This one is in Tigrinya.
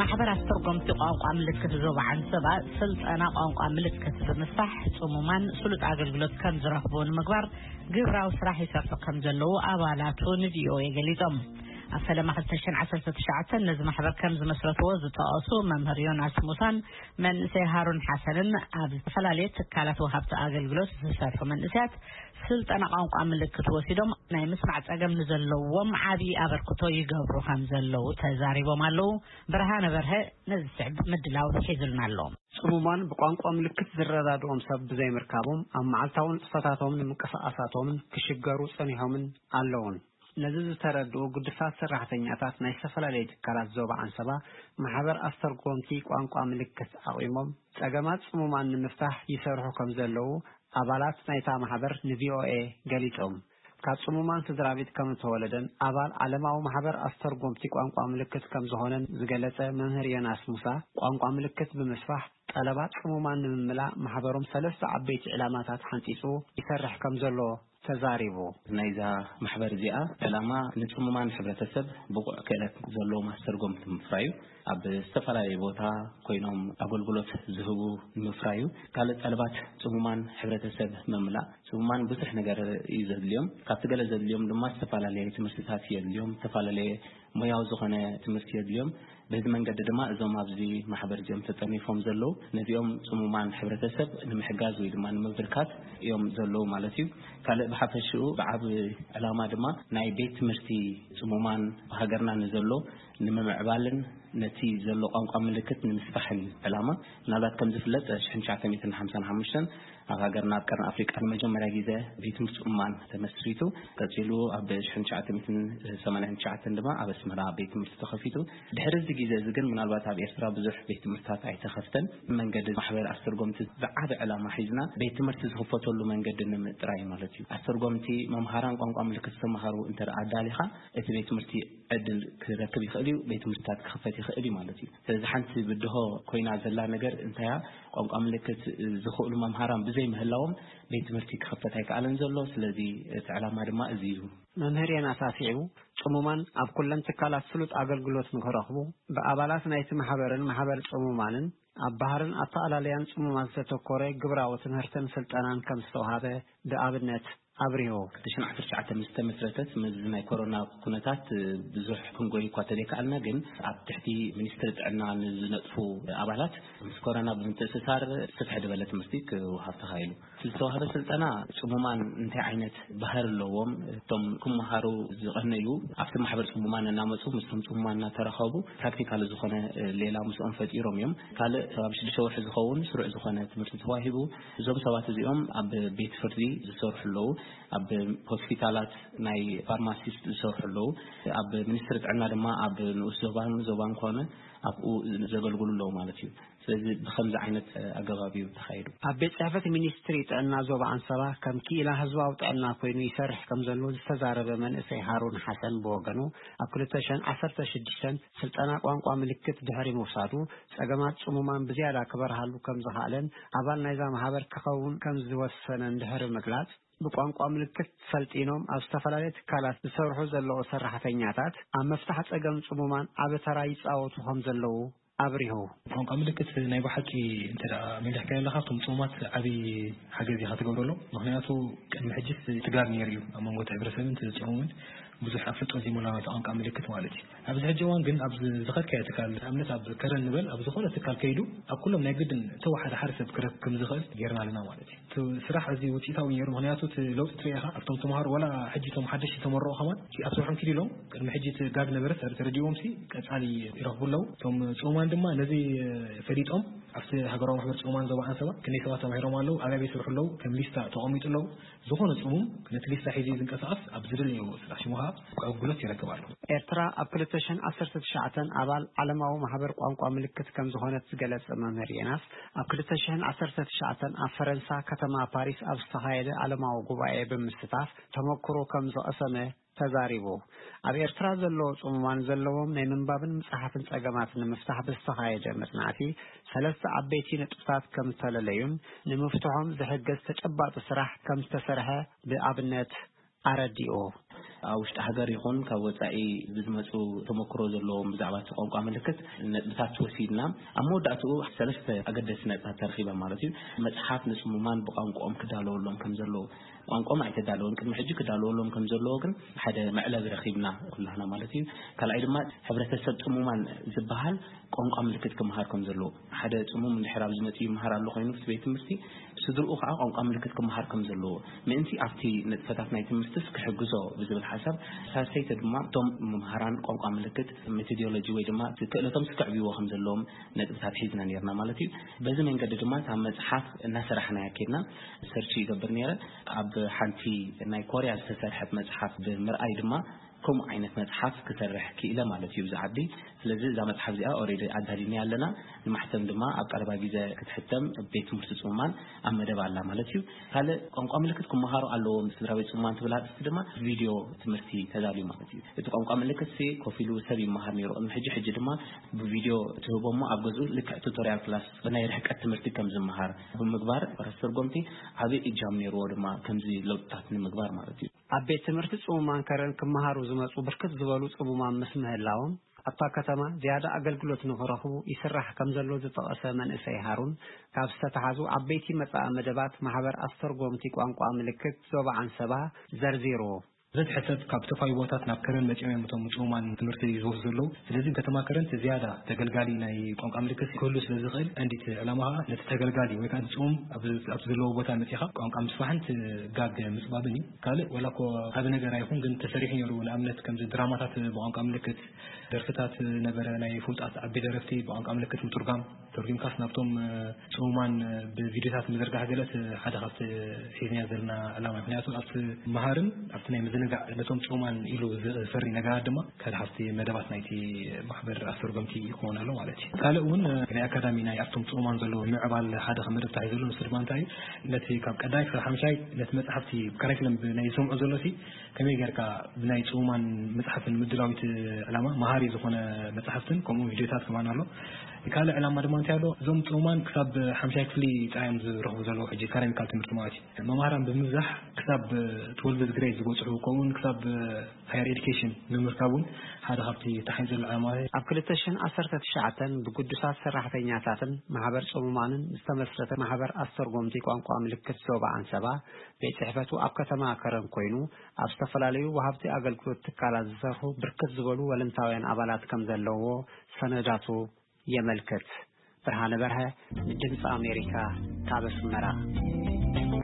ማሕበር ኣስተርጎምቲ ቋንቋ ምልክት ዞባ ዓንሰባ ስልጠና ቋንቋ ምልክት ብምስፋሕ ጽሙማን ስሉጥ ኣገልግሎት ከም ዝረኽቡ ንምግባር ግብራዊ ስራሕ ይሰርሑ ከም ዘለዉ ኣባላቱ ንቪኦኤ ገሊጾም። ኣብ ፈለማ ክልተ ሽሕን ዓሰርተ ትሽዓተን ነዚ ማሕበር ከም ዝመስረትዎ ዝጠቐሱ መምህር ዮናስ ሙሳን መንእሰይ ሃሩን ሓሰንን ኣብ ዝተፈላለየ ትካላት ወሃብቲ ኣገልግሎት ዝሰርሑ መንእሰያት ስልጠና ቋንቋ ምልክት ወሲዶም ናይ ምስማዕ ጸገም ንዘለዎም ዓቢ ኣበርክቶ ይገብሩ ከም ዘለዉ ተዛሪቦም ኣለዉ። ብርሃነ በርሀ ነዚ ዝስዕብ ምድላው ሒዙልና ኣሎ። ጽሙማን ብቋንቋ ምልክት ዝረዳድኦም ሰብ ብዘይምርካቦም ኣብ መዓልታዊ ንጥፈታቶም ንምንቅስቓሳቶምን ክሽገሩ ጸኒሖምን ኣለዉን። ነዚ ዝተረድኡ ግዱሳት ሰራሕተኛታት ናይ ዝተፈላለዩ ትካላት ዞባ ዓንሰባ ማሕበር ኣስተርጎምቲ ቋንቋ ምልክት ኣቑሞም ጸገማት ጽሙማን ንምፍታሕ ይሰርሑ ከም ዘለዉ ኣባላት ናይታ ማሕበር ንቪኦኤ ገሊጾም። ካብ ጽሙማን ስድራ ቤት ከም እተወለደን ኣባል ዓለማዊ ማሕበር ኣስተርጎምቲ ቋንቋ ምልክት ከም ዝኾነን ዝገለጸ መምህር ዮናስ ሙሳ፣ ቋንቋ ምልክት ብምስፋሕ ጠለባት ጽሙማን ንምምላእ ማሕበሮም ሰለስተ ዓበይቲ ዕላማታት ሓንጺጹ ይሰርሕ ከም ዘሎ ተዛሪቡ። ናይዛ ማሕበር እዚኣ ዕላማ ንጽሙማን ሕብረተሰብ ብቑዕ ክእለት ዘለዎም ኣስተርጎምቲ ምፍራዩ፣ ኣብ ዝተፈላለየ ቦታ ኮይኖም ኣገልግሎት ዝህቡ ንምፍራዩ፣ ካልእ ጠለባት ጽሙማን ሕብረተሰብ ምምላእ። ጽሙማን ብዙሕ ነገር እዩ ዘድልዮም። ካብቲ ገለ ዘድልዮም ድማ ዝተፈላለየ ትምህርትታት የድልዮም፣ ዝተፈላለየ ሞያዊ ዝኾነ ትምህርቲ የድልዮም። በዚ መንገዲ ድማ እዞም ኣብዚ ማሕበር እዚኦም ተጠርኒፎም ዘለዉ ነዚኦም ጽሙማን ሕብረተሰብ ንምሕጋዝ ወይ ድማ ንምብርካት እዮም ዘለዉ ማለት እዩ። ካልእ ብሓፈሽኡ ብዓቢ ዕላማ ድማ ናይ ቤት ትምህርቲ ጽሙማን ብሃገርና ንዘሎ ንምምዕባልን ነቲ ዘሎ ቋንቋ ምልክት ንምስፋሕን እዩ ዕላማ። ምናልባት ከም ዝፍለጥ ሽሕን ትሽዓተ ሚእትን ሓምሳን ሓሙሽተን ኣብ ሃገርና ኣብ ቀርኒ ኣፍሪቃ ንመጀመርያ ግዜ ቤት ትምህርቲ ጽሙማን ተመስሪቱ። ቀጺሉ ኣብ ሽሕን ትሽዓተ ሚእትን ሰማንያን ትሽዓተን ድማ ኣብ ኣስመራ ቤት ትምህርቲ ተኸፊቱ። ድሕሪ እዚ ግዜ እዚ ግን ምናልባት ኣብ ኤርትራ ብዙሕ ቤት ትምህርትታት ኣይተኸፍተን። መንገዲ ማሕበር ኣስተርጎምቲ ዝዓቢ ዕላማ ሒዝና ቤት ትምህርቲ ዝኽፈተሉ መንገዲ ንምጥራይ ማለት እዩ። ኣስተርጎምቲ መምሃራን ቋንቋ ምልክት ዝተምሃሩ እንተ ደኣ ኣዳሊኻ እቲ ቤት ትምህርቲ ዕድል ክረክብ ይኽእል እዩ፣ ቤት ትምህርትታት ክኽፈት ይኽእል እዩ ማለት እዩ። ስለዚ ሓንቲ ብድሆ ኮይና ዘላ ነገር እንታያ ቋንቋ ምልክት ዝኽእሉ መምሃራን ብዘይ ምህላዎም ቤት ትምህርቲ ክኽፈት ኣይከኣለን ዘሎ። ስለዚ እቲ ዕላማ ድማ እዚ እዩ። መምህር ዮናስ ኣስዒቡ፣ ጽሙማን ኣብ ኩለን ትካላት ስሉጥ ኣገልግሎት ንክረኽቡ ብኣባላት ናይቲ ማሕበርን ማሕበር ጽሙማንን ኣብ ባህርን ኣተኣላልያን ጽሙማት ዝተተኮረ ግብራዊ ትምህርትን ስልጠናን ከም ዝተውሃበ ብኣብነት ኣብሪሁ። ክልተ ሽሕን ዓሰርተ ትሽዓተ ምስ ተመስረተት፣ ምስዚ ናይ ኮሮና ኩነታት ብዙሕ ክንጎይ እኳ ተዘይከኣልና፣ ግን ኣብ ትሕቲ ሚኒስትሪ ጥዕና ንዝነጥፉ ኣባላት ምስ ኮሮና ብምትእስሳር ስፍሕ ዝበለ ትምህርቲ ክወሃብ ተኻኢሉ። ዝተዋህበ ስልጠና ጽሙማን እንታይ ዓይነት ባህሪ ኣለዎም፣ እቶም ክመሃሩ ዝቐነዩ ኣብቲ ማሕበር ጽሙማን እናመጹ ምስቶም ጽሙማን እናተራኸቡ ፕራክቲካል ዝኾነ ሌላ ምስኦም ፈጢሮም እዮም። ካልእ ከባቢ ሽዱሽተ ወርሒ ዝኸውን ስሩዕ ዝኾነ ትምህርቲ ተዋሂቡ። እዞም ሰባት እዚኦም ኣብ ቤት ፍርዲ ዝሰርሑ ኣለዉ፣ ኣብ ሆስፒታላት ናይ ፋርማሲስት ዝሰርሑ ኣለዉ፣ ኣብ ሚኒስትሪ ጥዕና ድማ ኣብ ንኡስ ዞባን ዞባን ኮነ ኣብኡ ዘገልግሉ ኣለዉ ማለት እዩ። ስለዚ ብኸምዚ ዓይነት ኣገባብ እዩ ተኻይዱ። ኣብ ቤት ጽሕፈት ሚኒስትሪ ጥዕና ዞባ ኣንሰባ ከም ክኢላ ህዝባዊ ጥዕና ኮይኑ ይሰርሕ ከም ዘሎ ዝተዛረበ መንእሰይ ሃሩን ሓሰን ብወገኑ፣ ኣብ ክልተ ሽሕን ዓሰርተ ሽዱሽተን ስልጠና ቋንቋ ምልክት ድሕሪ ምውሳዱ፣ ጸገማት ጽሙማን ብዝያዳ ክበርሃሉ ከም ዝኸኣለን ኣባል ናይዛ ማህበር ክኸውን ከም ዝወሰነን ድሕሪ ምግላጽ፣ ብቋንቋ ምልክት ሰልጢኖም ኣብ ዝተፈላለየ ትካላት ዝሰርሑ ዘለዉ ሰራሕተኛታት ኣብ ምፍታሕ ጸገም ጽሙማን ዓቢ ተራ ይጻወቱ ከም ዘለዉ ኣብሪሁ። ቋንቋ ምልክት ናይ ብሓቂ እንተ ደኣ መሊሕካዮ ኣለኻ፣ ካብቶም ጽሙማት ዓቢ ሓገዝ ኢኻ ትገብረሎም። ምኽንያቱ ቅድሚ ሕጂስ ትጋግ ነይሩ እዩ ኣብ መንጎ እቲ ሕብረተሰብን እቲ ጽሙምን ብዙሕ ኣፍልጦ ዘይምህላው ናይቲ ቋንቋ ምልክት ማለት እዩ። ኣብዚ ሕጂ እዋን ግን ኣብ ዝኸድካዮ ትካል፣ ንኣብነት ኣብ ከረን ንበል፣ ኣብ ዝኾነ ትካል ከይዱ ኣብ ኩሎም ናይ ግድን እተወሓደ ሓደ ሰብ ክረክብ ከም ዝኽእል ጌርና ኣለና ማለት እዩ። እቲ ስራሕ እዚ ውጽኢታዊ ነይሩ። ምኽንያቱ እቲ ለውጢ ትርኢ ኢኻ። ኣብቶም ተምሃሮ ዋላ ሕጂ እቶም ሓደሽቲ ተመረቑ ከማን እቲ ኣብ ስርሖም ኪዱ ኢሎም ቅድሚ ሕጂ እቲ ጋግ ነበረ ተረ-፣ ተረዲእዎም ሲ ቀጻሊ ይረኽቡ ኣለዉ። እቶም ጽሙማን ድማ ነዚ ፈሊጦም ኣብቲ ሃገራዊ ማሕበር ጽሙማን ዞባ ኣንሰባ ክንደይ ሰባት ተማሂሮም ኣለዉ፣ ኣበይ ኣበይ ይሰርሑ ኣለዉ ከም ሊስታ ተቐሚጡ ኣለዉ። ዝኾነ ጽሙም ነቲ ሊስታ ሒዙ ዝንቀሳቐስ ኣብ ዝደለዮ ስራሕ ሽሙ ኸኣ ኣገልግሎት ይረክብ ኣሎ። ኤርትራ ኣብ ክልተ ሽሕን ዓሰርተ ትሽዓተን ኣባል ዓለማዊ ማሕበር ቋንቋ ምልክት ከም ዝኾነት ዝገለጸ መምህር ዮናስ፣ ኣብ ክልተ ሽሕን ዓሰርተ ትሽዓተን ኣብ ፈረንሳ ከተማ ፓሪስ ኣብ ዝተኻየደ ዓለማዊ ጉባኤ ብምስታፍ ተመክሮ ከም ዝቐሰመ ተዛሪቡ። ኣብ ኤርትራ ዘለዉ ጽሙማን ዘለዎም ናይ ምንባብን ምጽሓፍን ጸገማት ንምፍታሕ ብዝተኻየደ መጽናዕቲ ሰለስተ ዓበይቲ ነጥብታት ከም ዝተለለዩን ንምፍትሖም ዝሕግዝ ተጨባጢ ስራሕ ከም ዝተሰርሐ ብኣብነት ኣረዲኡ። ኣብ ውሽጢ ሃገር ይኹን ካብ ወጻኢ ብዝመጹ ተመክሮ ዘለዎም ብዛዕባ እቲ ቋንቋ ምልክት ነጥብታት ወሲድና፣ ኣብ መወዳእትኡ ሰለስተ ኣገደስቲ ነጥብታት ተረኺበ ማለት እዩ። መጽሓፍ ንጽሙማን ብቋንቋኦም ክዳለወሎም ከም ዘለዎ፣ ቋንቋኦም ኣይተዳለወን፣ ቅድሚ ሕጂ ክዳለወሎም ከም ዘለዎ ግን ሓደ መዕለቢ ረኺብና ኩላህና ማለት እዩ። ካልኣይ ድማ ሕብረተሰብ ጽሙማን ዝበሃል ቋንቋ ምልክት ክመሃር ከም ዘለዎ፣ ሓደ ጽሙም እንድሕር ኣብ ዝመጽእ ይመሃር ኣሎ ኮይኑ እቲ ቤት ትምህርቲ፣ ስድርኡ ከዓ ቋንቋ ምልክት ክመሃር ከም ዘለዎ፣ ምእንቲ ኣብቲ ንጥፈታት ናይ ትምህርትስ ክሕግዞ ብዝብል ሓሳብ፣ ሳልሰይቲ ድማ እቶም መምሃራን ቋንቋ ምልክት ሜቶዶሎጂ ወይ ድማ ክእለቶም ክዕብይዎ ከም ዘለዎም ነጥብታት ሒዝና ነርና ማለት እዩ። በዚ መንገዲ ድማ እታ መጽሓፍ እናሰራሕናያ ከድና ሰርች ይገብር ነይረ። ኣብ ሓንቲ ናይ ኮርያ ዝተሰርሐት መጽሓፍ ብምርኣይ ድማ ከምኡ ዓይነት መጽሓፍ ክሰርሕ ክኢለ ማለት እዩ ብዚ ዓዲ። ስለዚ እዛ መጽሓፍ እዚኣ ኦሬዲ ኣዳሊና ኣለና። ንማሕተም ድማ ኣብ ቀረባ ግዜ ክትሕተም ቤት ትምህርቲ ጽሙማን ኣብ መደብ ኣላ ማለት እዩ። ካልእ ቋንቋ ምልክት ክመሃሩ ኣለዎም ስድራ ቤት ጽሙማን ትብል ኣርእስቲ ድማ ቪድዮ ትምህርቲ ተዳልዩ ማለት እዩ። እቲ ቋንቋ ምልክት ሲ ኮፍ ኢሉ ሰብ ይመሃር ነይሩ። ቅድሚ ሕጂ ሕጂ ድማ ብቪድዮ ትህቦ እሞ ኣብ ገዝኡ ልክዕ ቱቶሪያል ክላስ ብናይ ርሕቀት ትምህርቲ ከም ዝመሃር ብምግባር ኣስተርጎምቲ ዓቢ እጃም ነይርዎ ድማ ከምዚ ለውጥታት ንምግባር ማለት እዩ። ኣብ ቤት ትምህርቲ ጽሙማን ከረን ክመሃሩ ዝመጹ ብርክት ዝበሉ ጽሙማን ምስ ምህላዎም፣ ኣብታ ከተማ ዝያዳ ኣገልግሎት ንኽረኽቡ ይስራሕ ከም ዘሎ ዝጠቐሰ መንእሰይ ሃሩን፣ ካብ ዝተተሓዙ ዓበይቲ መጻኢ መደባት ማሕበር ኣስተርጎምቲ ቋንቋ ምልክት ዞባ ዓንሰባ ዘርዚሩ። በዝሒ ሰብ ካብ ዝተፈላለዩ ቦታት ናብ ከረን መጺኦም እዮም እቶም ጽሙማን ትምህርቲ ዝወስዱ ዘለዉ። ስለዚ ከተማ ከረን ዝያዳ ተገልጋሊ ናይ ቋንቋ ምልክት ክህሉ ስለ ዝኽእል፣ ቀንዲት ዕላማ ኸኣ ነቲ ተገልጋሊ ወይ ከኣ ጽሙም ኣብ፣ ኣብቲ ዘለዎ ቦታ መጺኻ ቋንቋ ምስፋሕን እቲ ጋግ ምጽባብን እዩ። ካልእ ዋላ እኮ ዓቢ ነገር ኣይኹን፣ ግን ተሰሪሑ ነይሩ። ንኣብነት ከምዚ ድራማታት ብቋንቋ ምልክት፣ ደርፍታት ነበረ፣ ናይ ፍሉጣት ዓቢ ደረፍቲ ብቋንቋ ምልክት ምትርጓም፣ ተርጒምካስ ናብቶም ጽሙማን ብቪድዮታት ምዝርጋሕ ገለ እቲ ሓደ ካብቲ ሒዝናዮ ዘለና ዕላማ እዩ። ምኽንያቱ ኣብቲ መሃርን ኣብቲ ናይ ምዝንጋዕ ነቶም ጽሙማን ኢሉ ዝፈሪ ነገራት ድማ ሓደ ካብቲ መደባት ናይቲ ማሕበር ኣስተርጎምቲ ይኸውን ኣሎ ማለት እዩ። ካልእ እውን ናይ ኣካዳሚ ናይ ኣብቶም ጽሙማን ዘለዎ ምዕባል ሓደ ከም መደብ ተታሒዙ ዘሎ፣ ንሱ ድማ እንታይ እዩ፣ ነቲ ካብ ቀዳማይ ክሳብ ሓምሻይ ነቲ መጽሓፍቲ ካሪክለም ብናይ ዝሰምዑ ዘሎ ሲ ከመይ ጌርካ ብናይ ጽሙማን መጽሓፍን ምድላው እቲ ዕላማ መሃሪ ዝኾነ መጽሓፍትን ከምኡ ቪድዮታት ከማን ኣሎ። ካልእ ዕላማ ድማ እንታይ ኣሎ? እዞም ጽሙማን ክሳብ ሓምሻይ ክፍሊ ጥራይ እዮም ዝረኽቡ ዘለዉ ሕጂ ካዳሚካል ትምህርቲ ማለት እዩ። መማህራን ብምብዛሕ ክሳብ ትወልቭዝ ግሬድ ዝበጽሑ ከምኡውን ክሳብ ሃየር ኤዱኬሽን ንምርካብ እውን ሓደ ካብቲ ተታሒዙ ዘሎ ዕላማ እዩ። ኣብ ክልተ ሽሕን ዓሰርተ ትሽዓተን ብግዱሳት ሰራሕተኛታትን ማሕበር ጽሙማንን ዝተመስረተ ማሕበር ኣስተርጎምቲ ቋንቋ ምልክት ዞባ ዓንሰባ ቤት ጽሕፈቱ ኣብ ከተማ ከረን ኮይኑ፣ ኣብ ዝተፈላለዩ ወሃብቲ ኣገልግሎት ትካላት ዝሰርሑ ብርክት ዝበሉ ወለንታውያን ኣባላት ከም ዘለውዎ ሰነዳቱ የመልክት። ብርሃነ በርሀ፣ ድምፂ ኣሜሪካ፣ ካብ ኣስመራ።